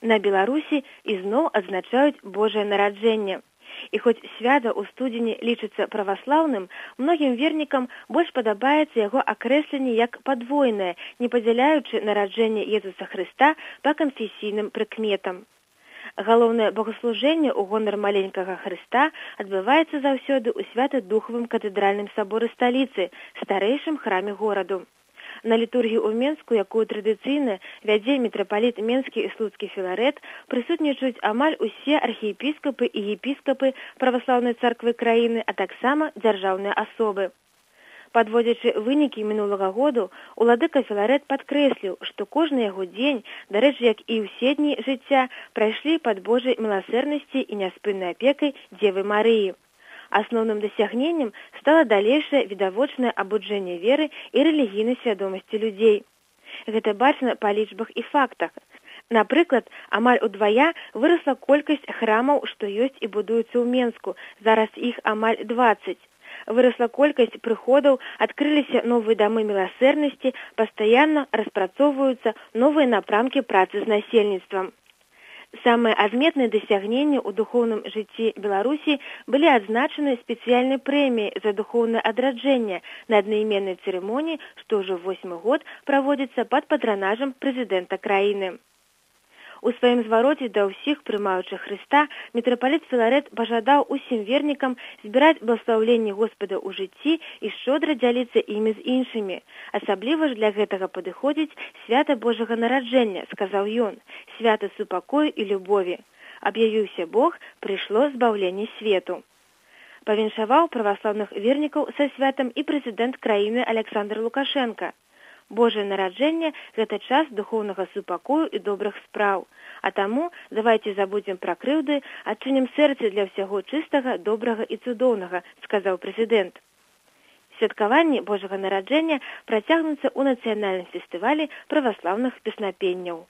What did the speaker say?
На Беларусі ізноў адзначаюць Божае нараджэнне. І хоць свята ў студзені лічыцца праваслаўным, многім вернікам больш падабаецца яго акрэсленне як падвойнае, не падзяляючы нараджэнне Езуса Хрыста па канфесійным прыкметам. Галоўнае богаслужэнне ў гонар маленькага Хрыста адбываецца заўсёды ў Свята-Духавым катэдральным саборы сталіцы, старэйшым храме гораду. На літургію ў Менску, якую традыцыйна вядзе мітрапаліт Менскі і Слуцкі Філарэт, прысутнічаюць амаль усе архіепіскапы і епіскапы праваслаўнай царквы краіны, а таксама дзяржаўныя асобы. Падводзячы вынікі мінулага году, уладыка Філарэт падкрэсліў, што кожны яго дзень, дарэчы, як і ўсе дні жыцця, прайшлі пад Божай міласэрнасці і няспыннай апекай Дзевы Марыі. Асноўным дасягненнем стала далейшае відавочнае абуджэнне веры і рэлігійнай свядомасці людзей. Гэта бачна па лічбах і фактах. Напрыклад, амаль удвая вырасла колькасць храмаў, што ёсць і будуюцца ў Менску, зараз іх амаль 20. Вырасла колькасць прыходаў, адкрыліся новыя дамы міласэрнасці, пастаянна распрацоўваюцца новыя напрамкі працы з насельніцтвам. Самыя адметныя дасягненні ў духоўным жыцці Беларусі былі адзначаны спецыяльнай прэміяй за духоўнае адраджэнне на аднайменнай цырымоніі, што ўжо 8-й год праводзіцца пад патранажам прэзідэнта краіны. У сваім звароце да ўсіх прымаючых Хрыста мітрапаліт Філарэт пажадаў усім вернікам збіраць бласлаўленні Господа ў жыцці і шчодра дзяліцца імі з іншымі. Асабліва ж для гэтага падыходзіць свята Божага нараджэння, сказаў ён, свята супакою і любові. Аб'явіўся Бог, прыйшло збаўленне свету. Павіншаваў праваслаўных вернікаў са святам і прэзідэнт краіны Александр Лукашенка. Божае нараджэнне – гэта час духоўнага супакою і добрых спраў. А таму давайце забудзем пра крыўды, адчынім сэрцы для ўсяго чыстага, добрага і цудоўнага, сказаў прэзідэнт. Святкаванні Божага нараджэння працягнуцца ў нацыянальным фестывалі праваслаўных песнапенняў.